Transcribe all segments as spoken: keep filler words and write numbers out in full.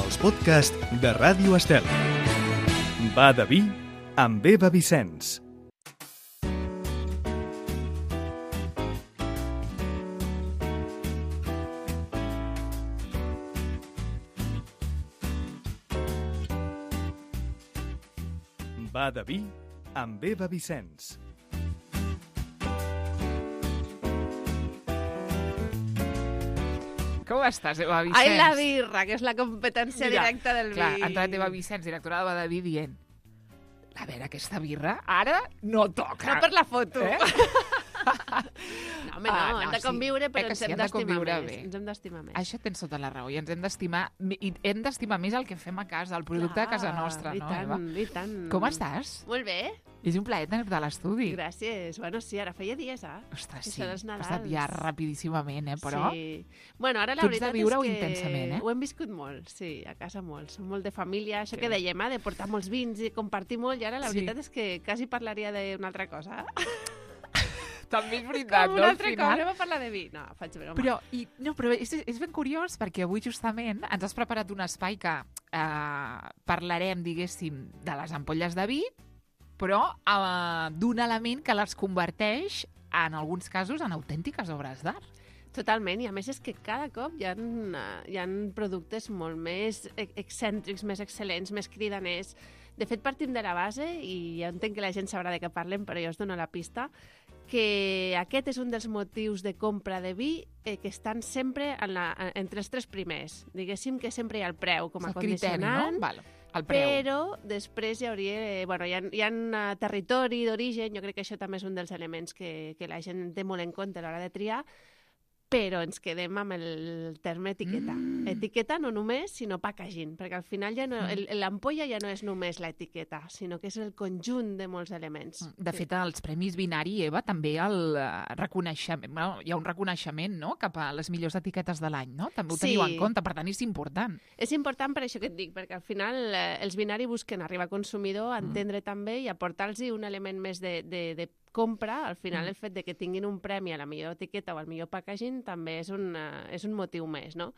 els podcasts de Ràdio Estel. Va de vi amb Eva Vicenç. Va de vi amb Eva Vicenç. Com estàs, Eva Vicenç? Ai, la birra, que és la competència Mira, directa del clar, vi. ha entrat Eva Vicenç, directora de Va de vi, dient a veure, aquesta birra ara no toca. No per la foto. Eh? No, home, no, Ah, no, hem de sí. conviure, Eh però que ens sí, hem hem de d'estimar conviure més. bé. Ens hem d'estimar més. Això tens tota la raó, i ens hem d'estimar i hem d'estimar més el que fem a casa, el producte Clar, de casa nostra, i no, tant, Eva? I tant. Com estàs? Molt bé, És un plaer tenir-te a l'estudi. gràcies. Bueno, sí, ara feia dies, eh? Ostres, Que sí, són els ha passat Nadals. ja rapidíssimament, eh, però... Sí. Bueno, ara la Tu ets de veritat viure-ho és que intensament, eh? ho hem viscut molt, sí, a casa molt. Som molt de família, això Sí. que dèiem, eh, de portar molts vins i compartir molt, i ara la Sí. veritat és que quasi parlaria d'una altra cosa. També és veritat, Com no, un al altre cop, final? anem a parlar de vi. No, faig broma. Però, i, no, però és, és ben curiós perquè avui justament ens has preparat un espai que eh, parlarem, diguéssim, de les ampolles de vi, però eh, d'un element que les converteix, en alguns casos, en autèntiques obres d'art. Totalment, i a més és que cada cop hi ha, hi ha productes molt més excèntrics, més excel·lents, més cridaners. De fet, partim de la base, i ja entenc que la gent sabrà de què parlem, però jo us dono la pista, que aquest és un dels motius de compra de vi eh, que estan sempre en la, entre els tres primers. Diguéssim que sempre hi ha el preu com a És el criteri, condicionant, no? Val, el preu. però després hi hauria... Eh, bueno, hi ha, hi ha uh, territori d'origen, jo crec que això també és un dels elements que, que la gent té molt en compte a l'hora de triar, però ens quedem amb el terme etiqueta. Mm. Etiqueta no només, sinó packaging, perquè al final ja no, el- l'ampolla ja no és només l'etiqueta, sinó que és el conjunt de molts elements. De fet, als Premis Binari, Eva, també el eh, reconeixement, bueno, hi ha un reconeixement, no?, cap a les millors etiquetes de l'any, no? També ho Sí. teniu en compte, per tant, és important. És important per això que et dic, perquè al final eh, els binari busquen arribar al consumidor, entendre també i aportar-los un element més de, de, de compra. Al final, Mm. el fet de que tinguin un premi a la millor etiqueta o al millor packaging també és un, uh, és un motiu més, no?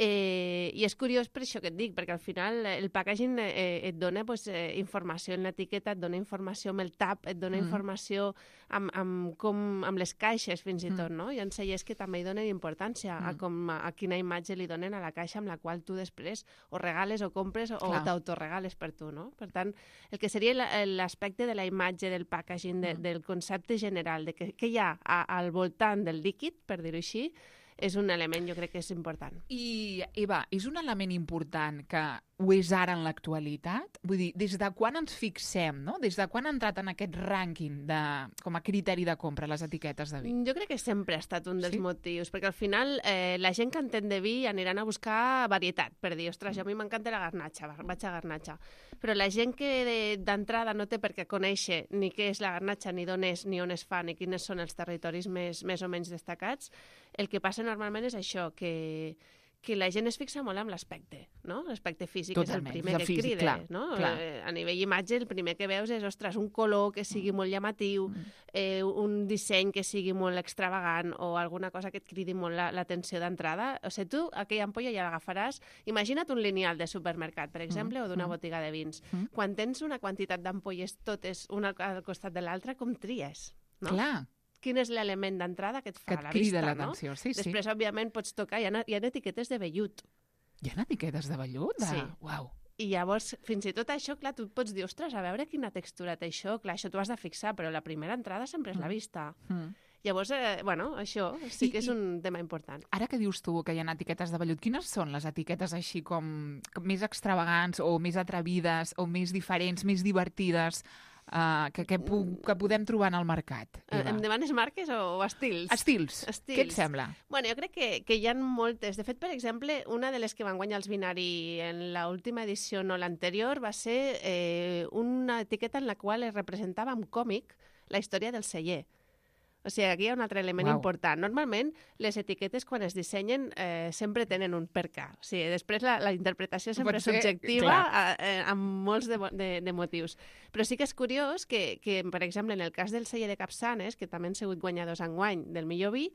Eh, I és curiós per això que et dic, perquè al final eh, el packaging eh, et dona pues, eh, informació en l'etiqueta, et dona informació amb el tap, et dona Mm. informació amb, amb, com, amb les caixes fins i Mm. tot, no? Hi ha cellers que també hi donen importància a, Mm. com, a, a quina imatge li donen a la caixa amb la qual tu després o regales o compres o Clar. t'autoregales per tu, no? Per tant, el que seria la- l'aspecte de la imatge, del packaging, de, Mm. del concepte general, de que, que hi ha a, al voltant del líquid, per dir-ho així, és un element, jo crec que és important. I, Eva, és un element important que ho és ara en l'actualitat? Vull dir, des de quan ens fixem, no? Des de quan ha entrat en aquest rànquing de, com a criteri de compra les etiquetes de vi? Jo crec que sempre ha estat un dels Sí? motius, perquè al final eh, la gent que entén de vi aniran a buscar varietat, per dir, ostres, a mi m'encanta la garnatxa, va- vaig a garnatxa. Però la gent que de- d'entrada no té per què conèixer ni què és la garnatxa, ni d'on és, ni on es fa, ni quins són els territoris més, més o menys destacats, el que passa normalment és això, que que la gent es fixa molt en l'aspecte, no? L'aspecte físic Totalment, és el primer el que físic, crida, clar, no? clar. Eh, a nivell imatge, el primer que veus és, ostres, un color que sigui molt llamatiu, eh, un disseny que sigui molt extravagant o alguna cosa que et cridi molt la- l'atenció d'entrada. O sigui, tu aquella ampolla ja l'agafaràs. Imagina't un lineal de supermercat, per exemple, Mm, o d'una mm. botiga de vins. Mm. Quan tens una quantitat d'ampolles totes una al costat de l'altra, com tries? No? Clar, Quin és l'element d'entrada que et fa que a et la crida vista, no? l'atenció. Sí, sí. Després, òbviament, pots tocar, hi ha, hi ha etiquetes de vellut. Hi ha etiquetes de vellut? De... Sí. Uau. I llavors, fins i tot això, clar, tu et pots dir, ostres, a veure quina textura té això. Clar, això t'ho has de fixar, però la primera entrada sempre és la vista. Mm. Llavors, eh, bueno, això sí I- que és i- un tema important. Ara que dius tu que hi ha etiquetes de vellut, quines són les etiquetes així com, com més extravagants o més atrevides o més diferents, més divertides uh, que, que, pu que podem trobar en el mercat? Eh, Eva? Em demanes marques o, o estils? Estils. Estils. Què et sembla? Bueno, jo crec que, que hi ha moltes. De fet, per exemple, una de les que van guanyar els binari en l'última edició, no l'anterior, va ser eh, una etiqueta en la qual es representava amb còmic la història del celler. O sigui, aquí hi ha un altre element Uau. important. Normalment, les etiquetes, quan es dissenyen, eh, sempre tenen un per què. O sigui, després la, la interpretació sempre Pot és ser, subjectiva clar. a, a, amb molts de, mo- de, de motius. Però sí que és curiós que, que, per exemple, en el cas del celler de Capçanes, que també han sigut guanyadors enguany del millor vi,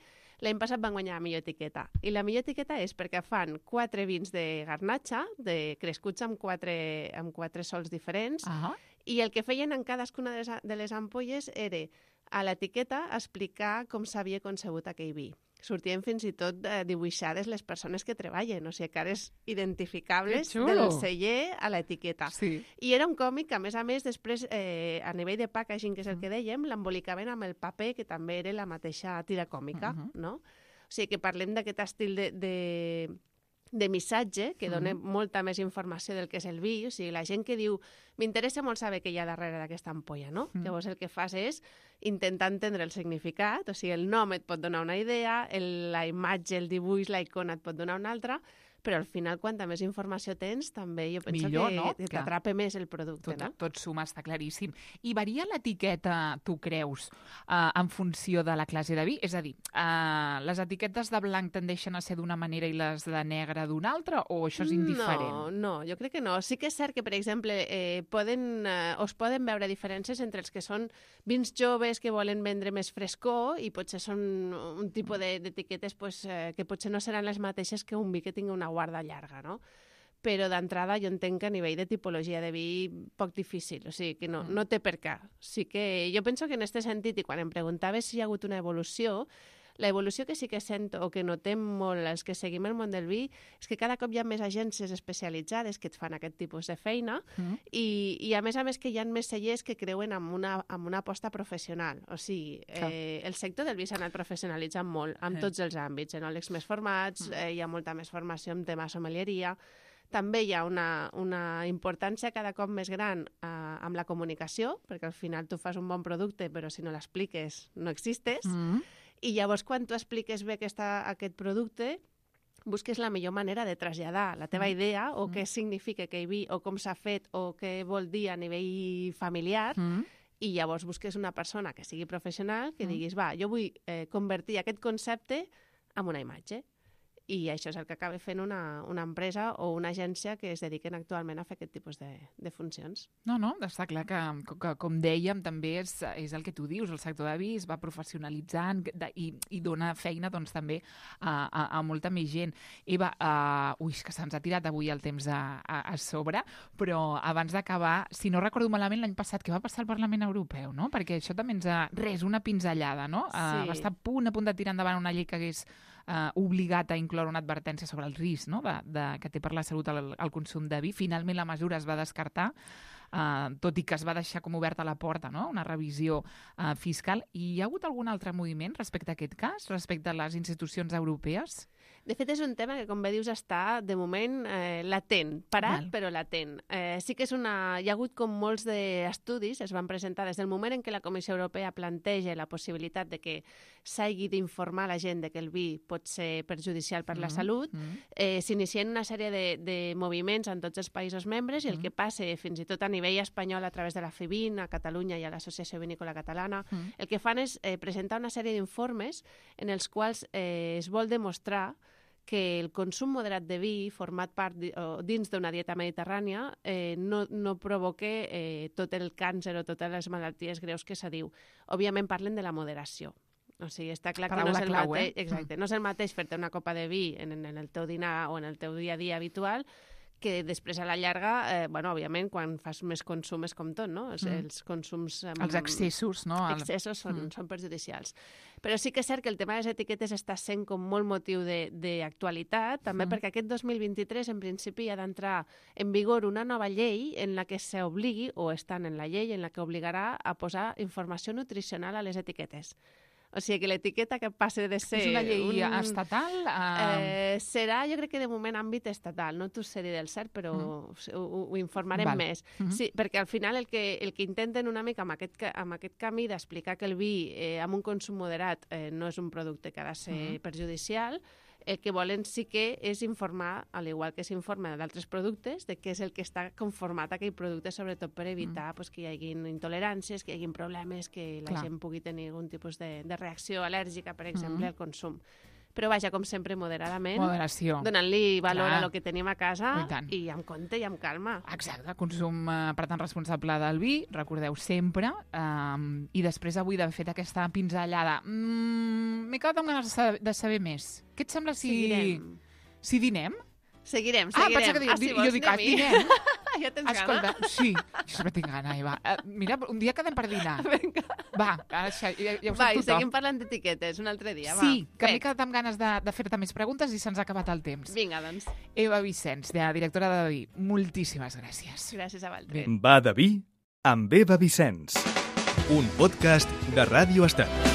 l'any passat van guanyar la millor etiqueta. I la millor etiqueta és perquè fan quatre vins de garnatxa, de crescuts amb quatre, amb quatre sols diferents, Ah, i el que feien en cadascuna de les, de les ampolles era a l'etiqueta explicar com s'havia concebut aquell vi. Sortien fins i tot eh, dibuixades les persones que treballen, o sigui, cares identificables Que xulo! del celler a l'etiqueta. sí. I era un còmic que, a més a més, després, eh, a nivell de packaging, que és el que dèiem, l'embolicaven amb el paper, que també era la mateixa tira còmica, Mhm. no? O sigui, que parlem d'aquest estil de, de, de missatge, que dona molta més informació del que és el vi. O sigui, la gent que diu, m'interessa molt saber què hi ha darrere d'aquesta ampolla, no? Mm. Llavors el que fas és intentar entendre el significat, o sigui, el nom et pot donar una idea, el, la imatge, el dibuix, la icona et pot donar una altra, però al final, quanta més informació tens, també jo penso Millor, que, no? que Clar. t'atrapa més el producte, Tot, no? tot suma, està claríssim. I varia l'etiqueta, tu creus, uh, en funció de la classe de vi? És a dir, uh, les etiquetes de blanc tendeixen a ser d'una manera i les de negre d'una altra, o això és indiferent? No, no, jo crec que no. Sí que és cert que, per exemple, eh, poden, eh, es poden veure diferències entre els que són vins joves que volen vendre més frescor i potser són un tipus de- d'etiquetes pues, eh, que potser no seran les mateixes que un vi que tingui una guarda llarga, no? Però d'entrada jo entenc que a nivell de tipologia de vi poc difícil, o sigui que no, no té per què. Sí que jo penso que en aquest sentit, i quan em preguntaves si hi ha hagut una evolució, la evolució que sí que sento o que notem molt els que seguim el món del vi és que cada cop hi ha més agències especialitzades que et fan aquest tipus de feina Mm. i, i a més a més que hi ha més cellers que creuen en una, en una aposta professional. O sigui, eh, el sector del vi s'ha anat professionalitzant molt en Eh. tots els àmbits, enòlegs més formats, eh, hi ha molta més formació en tema sommelieria, també hi ha una, una importància cada cop més gran eh, amb la comunicació, perquè al final tu fas un bon producte, però si no l'expliques no existes. Mm. I llavors, quan tu expliques bé aquesta, aquest producte, busques la millor manera de traslladar la teva idea o què significa aquell vi o com s'ha fet o què vol dir a nivell familiar Mm. i llavors busques una persona que sigui professional que diguis, va, jo vull eh, convertir aquest concepte en una imatge. I això és el que acaba fent una, una empresa o una agència que es dediquen actualment a fer aquest tipus de, de funcions. No, no, està clar que, que com dèiem, també és, és el que tu dius, el sector de vi es va professionalitzant de, i, i dona feina doncs, també a, a, a molta més gent. Eva, uh, ui, que se'ns ha tirat avui el temps a, a, a sobre, però abans d'acabar, si no recordo malament, l'any passat, què va passar al Parlament Europeu, no? Perquè això també ens ha... Res, una pinzellada, no? Uh, Sí. va estar a punt, a punt de tirar endavant una llei que hagués Uh, obligat a incloure una advertència sobre el risc, no? de, de, que té per la salut el, el consum de vi. Finalment la mesura es va descartar, uh, tot i que es va deixar com oberta la porta, no? Una revisió uh, fiscal. I hi ha hagut algun altre moviment respecte a aquest cas, respecte a les institucions europees? De fet, és un tema que, com bé dius, està, de moment, eh, latent. Parat, Val. però latent. Eh, sí que és una... Hi ha hagut com molts d'estudis, es van presentar des del moment en què la Comissió Europea planteja la possibilitat de que s'hagi d'informar la gent de que el vi pot ser perjudicial per la Mm, salut, mm. eh, s'inicien una sèrie de, de moviments en tots els països membres i el que passa, fins i tot a nivell espanyol, a través de la FEVIN, a Catalunya i a l'Associació Vinícola Catalana, Mm. el que fan és eh, presentar una sèrie d'informes en els quals eh, es vol demostrar que el consum moderat de vi, format part di, o dins d'una dieta mediterrània, eh, no, no provoca eh, tot el càncer o totes les malalties greus que se diu. Òbviament parlen de la moderació. O sigui, està clar Paraula que no és el clau, mateix, eh? exacte, no és el mateix fer-te una copa de vi en, en el teu dinar o en el teu dia a dia habitual que després a la llarga, eh, bueno, òbviament, quan fas més consum és com tot, no? Els, Mm. els consums... Eh, Els excessos, no? El... excessos són, Mm. mm. són perjudicials. Però sí que és cert que el tema de les etiquetes està sent com molt motiu d'actualitat, també Mm. perquè aquest dos mil vint-i-tres en principi ha d'entrar en vigor una nova llei en la que s'obligui, o estan en la llei, en la que obligarà a posar informació nutricional a les etiquetes. O sigui que l'etiqueta que passe de ser... És una llei un, estatal? Eh... Eh, serà, jo crec que de moment àmbit estatal, no t'ho sé dir del cert, però mm. ho, ho informarem Val. més. Mhm. Sí, perquè al final el que, el que intenten una mica amb aquest, ca- amb aquest camí d'explicar que el vi eh, amb un consum moderat eh, no és un producte que ha de ser Mhm. perjudicial, el que volen sí que és informar, al igual que s'informa d'altres productes, de què és el que està conformat aquell producte, sobretot per evitar mm. pues, que hi hagin intoleràncies, que hi hagin problemes, que la Clar. gent pugui tenir algun tipus de, de reacció al·lèrgica, per exemple, Mhm. al consum. però vaja, com sempre, moderadament. Moderació. Donant-li valor Clar. a lo que tenim a casa I tant. i amb compte i amb calma. Exacte, consum, eh, per tant, responsable del vi, recordeu sempre. Um, I després avui d'haver fet aquesta pinzellada, mm, m'he quedat amb ganes de saber, de saber més. Què et sembla si... Seguirem. Si dinem? Seguirem, Ah, seguirem. pensa que dius, si jo vols, dic, ah, anem-hi. dinem? Ja tens Escolta, gana? sí, jo sempre tinc gana, Eva. Uh, mira, un dia quedem per dinar. Vinga. Va, això, ja, ja ho Va, sap i tothom. seguim parlant d'etiquetes un altre dia, va. Sí, que m'he Bé, quedat amb ganes de, de fer-te més preguntes i se'ns ha acabat el temps. Vinga, doncs. Eva Vicenç, de directora de Vi, moltíssimes gràcies. Gràcies a vosaltres. Va de vi amb Eva Vicenç. Un podcast de Ràdio Estel.